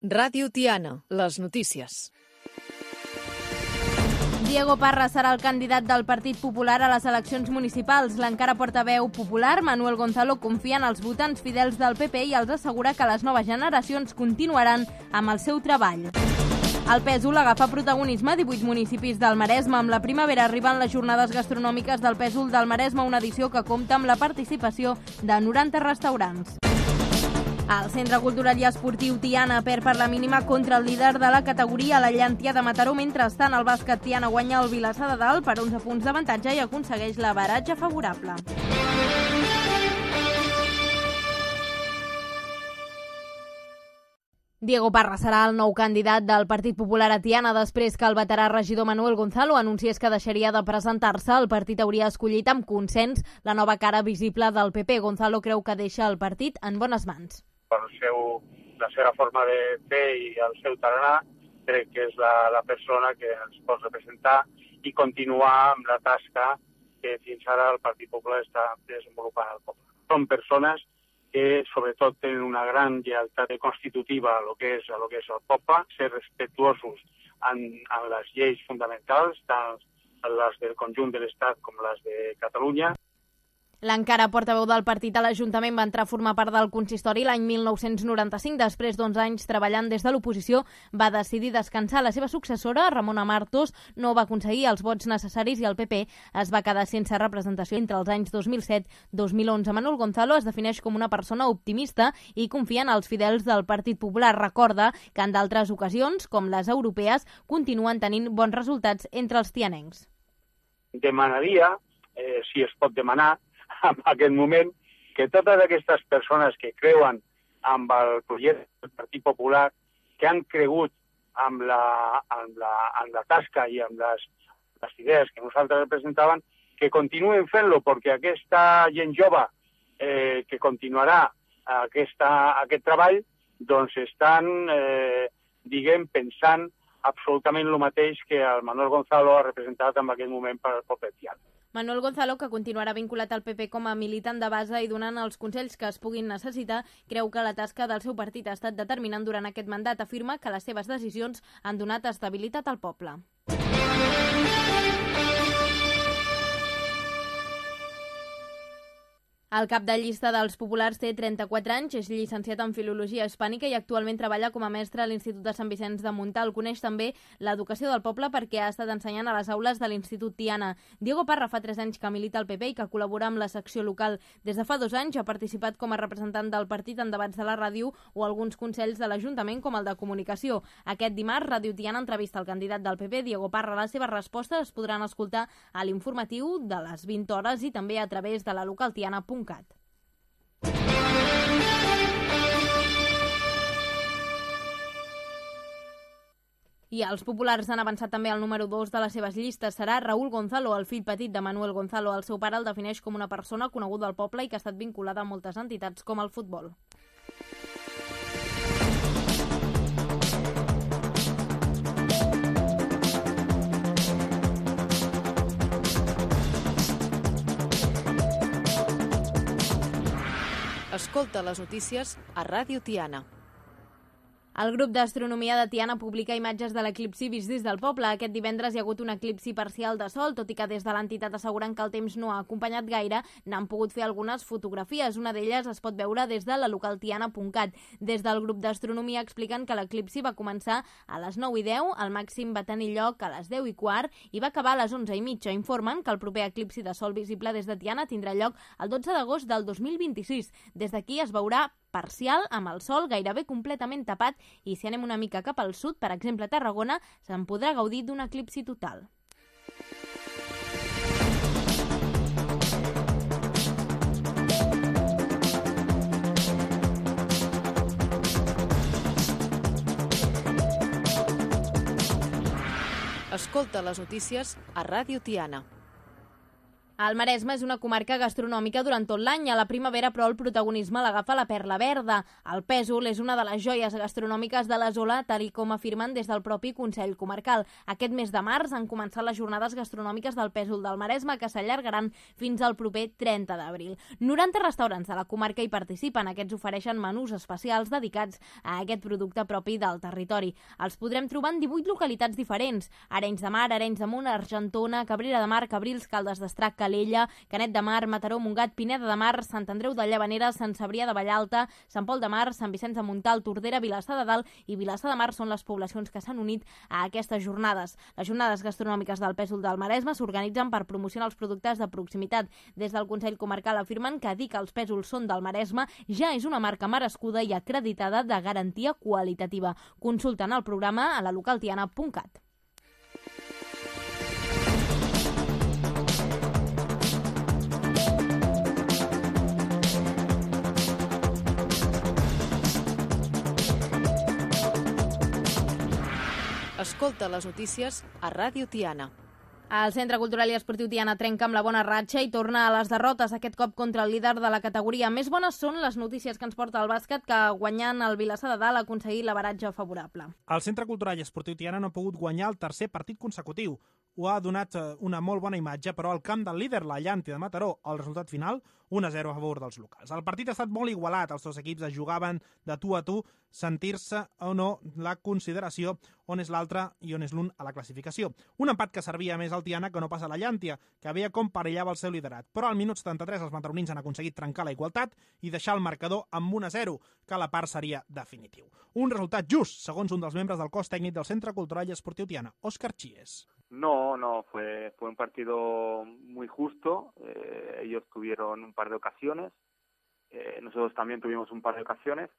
Ràdio Tiana, les notícies. Diego Parra serà el candidat del Partit Popular a les eleccions municipals. L'encara portaveu popular, Manuel Gonzalo, confia en els votants fidels del PP i els assegura que les noves generacions continuaran amb el seu treball. El Pèsol agafa protagonisme a 18 municipis del Maresme. Amb la primavera arriben les jornades gastronòmiques del Pèsol del Maresme, una edició que compta amb la participació de 90 restaurants. El Centre Cultural i Esportiu Tiana perd per la mínima contra el líder de la categoria, la Llantia de Mataró. Mentrestant, el bàsquet Tiana guanya el Vilassar de Dalt per 11 punts d'avantatge i aconsegueix l'averatge favorable. Diego Parra serà el nou candidat del Partit Popular a Tiana després que el veterà regidor Manuel Gonzalo anunciés que deixaria de presentar-se. El partit hauria escollit amb consens la nova cara visible del PP. Gonzalo creu que deixa el partit en bones mans. Per la seva forma de fer i el seu tarannà, crec que és la persona que ens pot representar i continuar amb la tasca que fins ara el Partit Popular està desenvolupant al poble. Són persones que sobretot tenen una gran lleialtat constitutiva a lo que és el poble, ser respectuosos en les lleis fonamentals, tant les del conjunt de l'Estat com les de Catalunya. L'encara portaveu del partit a l'Ajuntament va entrar a formar part del consistori l'any 1995. Després d'11 anys treballant des de l'oposició, va decidir descansar. La seva successora, Ramona Martos, no va aconseguir els vots necessaris i el PP es va quedar sense representació entre els anys 2007-2011. Manuel Gonzalo es defineix com una persona optimista i confia en els fidels del Partit Popular. Recorda que en d'altres ocasions, com les europees, continuen tenint bons resultats entre els tianencs. Demanaria, si es pot demanar, en aquest moment, que totes aquestes persones que creuen amb el projecte del Partit Popular, que han cregut amb la tasca i amb les idees que nosaltres representaven, que continuen fent-lo, perquè aquesta gent jove que continuarà aquest treball, doncs estan, pensant absolutament el mateix que el Manuel Gonzalo ha representat en aquest moment per al poble tiana. Manuel Gonzalo, que continuarà vinculat al PP com a militant de base i donant els consells que es puguin necessitar, creu que la tasca del seu partit ha estat determinant durant aquest mandat. Afirma que les seves decisions han donat estabilitat al poble. El cap de llista dels populars té 34 anys, és llicenciat en Filologia Hispànica i actualment treballa com a mestre a l'Institut de Sant Vicenç de Montalt. Coneix també l'educació del poble perquè ha estat ensenyant a les aules de l'Institut Tiana. Diego Parra fa 3 anys que milita al PP i que col·labora amb la secció local. Des de fa 2 anys ha participat com a representant del partit en debats de la ràdio o alguns consells de l'Ajuntament com el de Comunicació. Aquest dimarts, Ràdio Tiana entrevista al candidat del PP, Diego Parra. Les seves respostes es podran escoltar a l'informatiu de les 20 hores i també a través de la localtiana.cat. I els populars han avançat també al número 2 de les seves llistes. Serà Raúl Gonzalo, el fill petit de Manuel Gonzalo. El seu pare el defineix com una persona coneguda al poble i que ha estat vinculada a moltes entitats com el futbol. Escolta les notícies a Ràdio Tiana. El grup d'astronomia de Tiana publica imatges de l'eclipsi vist des del poble. Aquest divendres hi ha hagut un eclipsi parcial de sol, tot i que des de l'entitat asseguren que el temps no ha acompanyat gaire, n'han pogut fer algunes fotografies. Una d'elles es pot veure des de la localtiana.cat. Des del grup d'astronomia expliquen que l'eclipsi va començar a les 9:10, el màxim va tenir lloc a les 10:15 i va acabar a les 11:30. Informen que el proper eclipsi de sol visible des de Tiana tindrà lloc el 12 d'agost del 2026. Des d'aquí es veurà parcial, amb el sol gairebé completament tapat, i si anem una mica cap al sud, per exemple a Tarragona, se'n podrà gaudir d'un eclipsi total. Escolta les notícies a Ràdio Tiana. El Maresme és una comarca gastronòmica durant tot l'any. A la primavera, però, el protagonisme l'agafa la Perla Verda. El pèsol és una de les joies gastronòmiques de la zona, tal com afirmen des del propi Consell Comarcal. Aquest mes de març han començat les jornades gastronòmiques del pèsol del Maresme, que s'allargaran fins al proper 30 d'abril. 90 restaurants de la comarca hi participen. Aquests ofereixen menús especials dedicats a aquest producte propi del territori. Els podrem trobar en 18 localitats diferents: Arenys de Mar, Arenys de Munt, Argentona, Cabrera de Mar, Cabrils, Caldes d'Estrac, Calella, Canet de Mar, Mataró, Montgat, Pineda de Mar, Sant Andreu de Llavanera, Sant Cebrià de Vallalta, Sant Pol de Mar, Sant Vicenç de Montalt, Tordera, Vilassar de Dalt i Vilassar de Mar són les poblacions que s'han unit a aquestes jornades. Les jornades gastronòmiques del pèsol del Maresme s'organitzen per promocionar els productes de proximitat. Des del Consell Comarcal afirmen que dir que els pèsols són del Maresme ja és una marca merescuda i acreditada de garantia qualitativa. Consulten el programa a la localtiana.cat. Escolta les notícies a Ràdio Tiana. El Centre Cultural i Esportiu Tiana trenca amb la bona ratxa i torna a les derrotes, aquest cop contra el líder de la categoria. Més bones són les notícies que ens porta el bàsquet, que guanyant el Vilassar de Dalt ha aconseguit l'averatge favorable. El Centre Cultural i Esportiu Tiana no ha pogut guanyar el tercer partit consecutiu. Ho ha donat una molt bona imatge, però al camp del líder, la Llàntia de Mataró, el resultat final, 1-0 a favor dels locals. El partit ha estat molt igualat, els dos equips es jugaven de tu a tu, sentir-se o no la consideració on és l'altre i on és l'un a la classificació. Un empat que servia més al Tiana que no passa a la Llàntia, que veia com perillava el seu liderat. Però al minut 73 els mataronins han aconseguit trencar la igualtat i deixar el marcador amb 1-0, que a la part seria definitiu. Un resultat just, segons un dels membres del cos tècnic del Centre Cultural i Esportiu Tiana, Òscar Chies. No, fue un partido muy justo. Ellos tuvieron un par de ocasiones, nosotros también tuvimos un par de ocasiones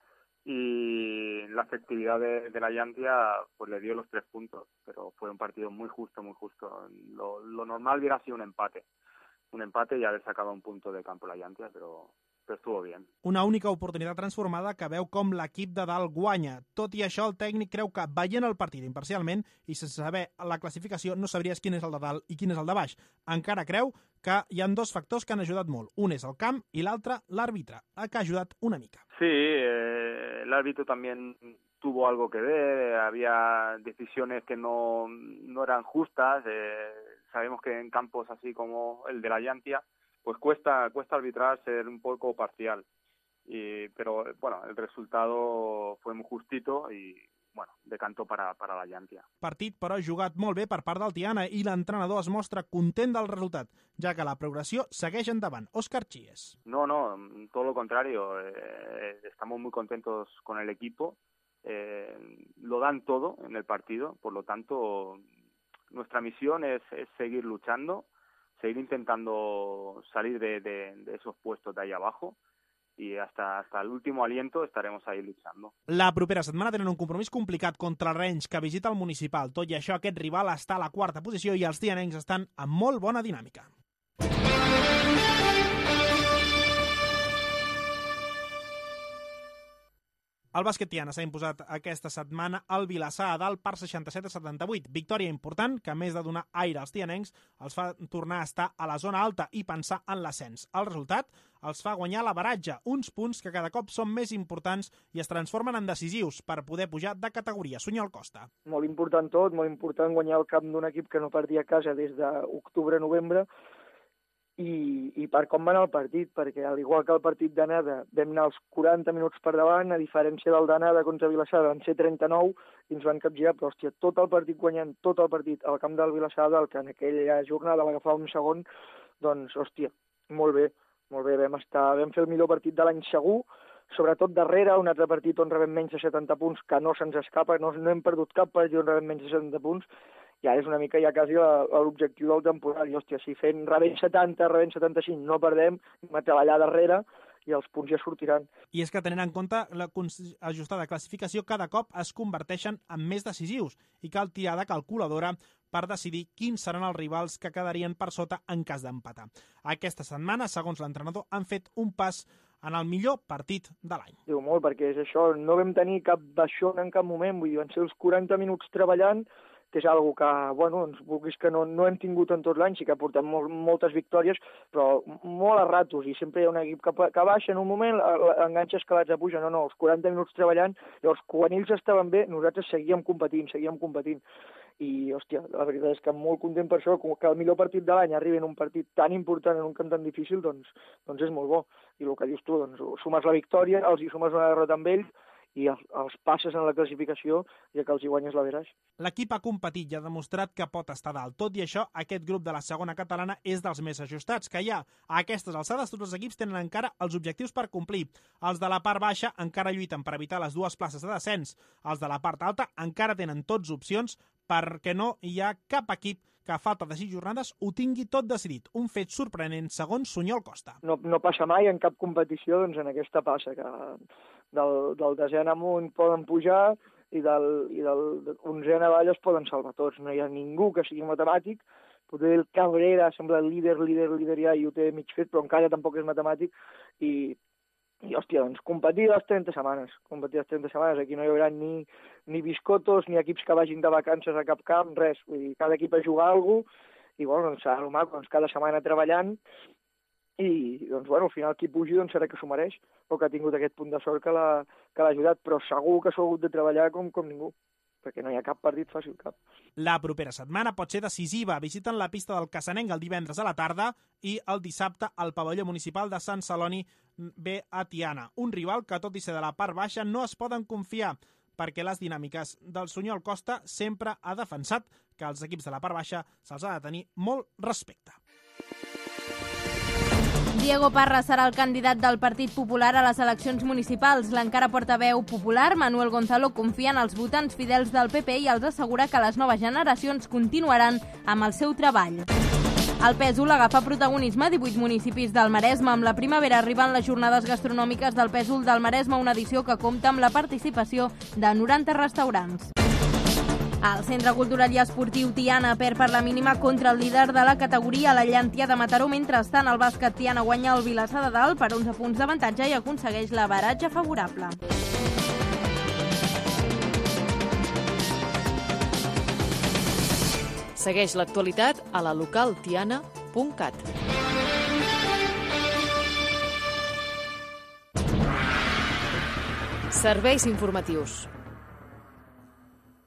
y la efectividad de la Llantia pues le dio los 3 puntos, pero fue un partido muy justo, muy justo. Lo normal hubiera sido un empate y haber sacado un punto de campo la Llantia, pero estuvo bien. Una única oportunitat transformada que veu com l'equip de dalt guanya. Tot i això, el tècnic creu que veient el partit imparcialment i sense saber la classificació no sabries quin és el de dalt i quin és el de baix. Encara creu que hi ha 2 factors que han ajudat molt. Un és el camp i l'altre l'àrbitre, que ha ajudat una mica. Sí, el árbitro también tuvo algo que ver, había decisiones que no eran justas. Sabemos que en campos así como el de la Llantia pues cuesta arbitrar, ser un poco parcial. Pero bueno, el resultado fue muy justito y bueno, decantó para la Llantia. Partit, però, jugat molt bé per part del Tiana i l'entrenador es mostra content del resultat, ja que la progressió segueix endavant. Òscar Chies. No, todo lo contrario. Estamos muy contentos con el equipo. Lo dan todo en el partido, por lo tanto, nuestra misión es seguir luchando, seguir intentando salir de esos puestos de ahí abajo y hasta el último aliento estaremos ahí luchando. La propera setmana tenen un compromís complicat contra el Renys, que visita el Municipal. Tot i això, aquest rival està a la 4a posició i els tianencs estan en molt bona dinàmica. El bàsquet Tiana s'ha imposat aquesta setmana al Vilassar de Dalt per 67-78. Victòria important que, a més de donar aire als tianencs, els fa tornar a estar a la zona alta i pensar en l'ascens. El resultat els fa guanyar l'averatge, uns punts que cada cop són més importants i es transformen en decisius per poder pujar de categoria. Sunyol Costa. Molt important tot, molt important guanyar el camp d'un equip que no perdia a casa des d'octubre-novembre, i per com va anar el partit, perquè al igual que el partit d'anada vam anar els 40 minuts per davant, a diferència del d'anada contra Vilassar van ser 39 i ens van capgirar, però hòstia, tot el partit guanyant, tot el partit al camp del Vilassar, que en aquella jornada va agafar un segon, doncs hòstia, molt bé, vam fer el millor partit de l'any segur, sobretot darrere, un altre partit on rebem menys de 70 punts, que no se'ns escapa, no hem perdut cap partit on rebem menys de 70 punts, ja és una mica ja quasi l'objectiu del temporal. I, hòstia, si rebent 70, rebent 75, no perdem, hem de treballar darrere i els punts ja sortiran. I és que tenint en compte l'ajustada classificació, cada cop es converteixen en més decisius i cal tirar de calculadora per decidir quins seran els rivals que quedarien per sota en cas d'empatar. Aquesta setmana, segons l'entrenador, han fet un pas en el millor partit de l'any. Diu molt, perquè és això, no vam tenir cap baixón en cap moment, vull dir, van ser els 40 minuts treballant, és algo que, bueno, doncs, vulguis que no hem tingut en tot l'any, sí que portem moltes victòries, però molt a ratos, i sempre hi ha un equip que baixa en un moment, enganxa escalats a puja, no, els 40 minuts treballant, llavors quan ells estaven bé, nosaltres seguíem competint, i, hòstia, la veritat és que molt content per això, que el millor partit de l'any arribi en un partit tan important, en un camp tan difícil, doncs és molt bo. I el que dius tu, doncs, sumes la victòria, els hi sumes una derrota amb ells, i els passes en la classificació ja que els hi guanyes la veraix. L'equip ha competit i ha demostrat que pot estar dalt. Tot i això, aquest grup de la segona catalana és dels més ajustats que hi ha. A aquestes alçades, tots els equips tenen encara els objectius per complir. Els de la part baixa encara lluiten per evitar les 2 places de descens. Els de la part alta encara tenen tots opcions perquè no hi ha cap equip que a falta de 6 jornades ho tingui tot decidit. Un fet sorprenent, segons Sunyol Costa. No passa mai en cap competició, doncs en aquesta passa, que del desè en amunt poden pujar i del 11è avall es poden salvar tots. No hi ha ningú que sigui matemàtic. Potser el Cabrera sembla líder ja i ho té mig fet, però encara tampoc és matemàtic. I hòstia, doncs competir les 30 setmanes. Aquí no hi haurà ni biscotos, ni equips que vagin de vacances a cap camp, res. Vull dir, cada equip a jugar alguna cosa, i bueno, doncs serà maco, doncs cada setmana treballant, i doncs bueno, al final qui pugi doncs serà que s'ho mereix, o que ha tingut aquest punt de sort que l'ha ajudat, però segur que s'ho ha hagut de treballar com ningú, perquè no hi ha cap partit fàcil, cap. La propera setmana pot ser decisiva. Visiten la pista del Cassanenc el divendres a la tarda i el dissabte al pavelló municipal de Sant Celoni ve a Tiana. Un rival que, tot i ser de la part baixa, no es poden confiar, perquè les dinàmiques del Sunyol Costa sempre ha defensat que als equips de la part baixa se'ls ha de tenir molt respecte. Diego Parra serà el candidat del Partit Popular a les eleccions municipals. L'encara portaveu popular, Manuel Gonzalo, confia en els votants fidels del PP i els assegura que les noves generacions continuaran amb el seu treball. El Pèsol agafa protagonisme a 18 municipis del Maresme. Amb la primavera arriben les jornades gastronòmiques del Pèsol del Maresme, una edició que compta amb la participació de 90 restaurants. El Centre Cultural i Esportiu Tiana perd per la mínima contra el líder de la categoria, la Llantia de Mataró. Mentrestant, el bàsquet Tiana guanya el Vilassar de Dalt per 11 punts d'avantatge i aconsegueix l'averatge favorable. Segueix l'actualitat a la localtiana.cat. Serveis informatius.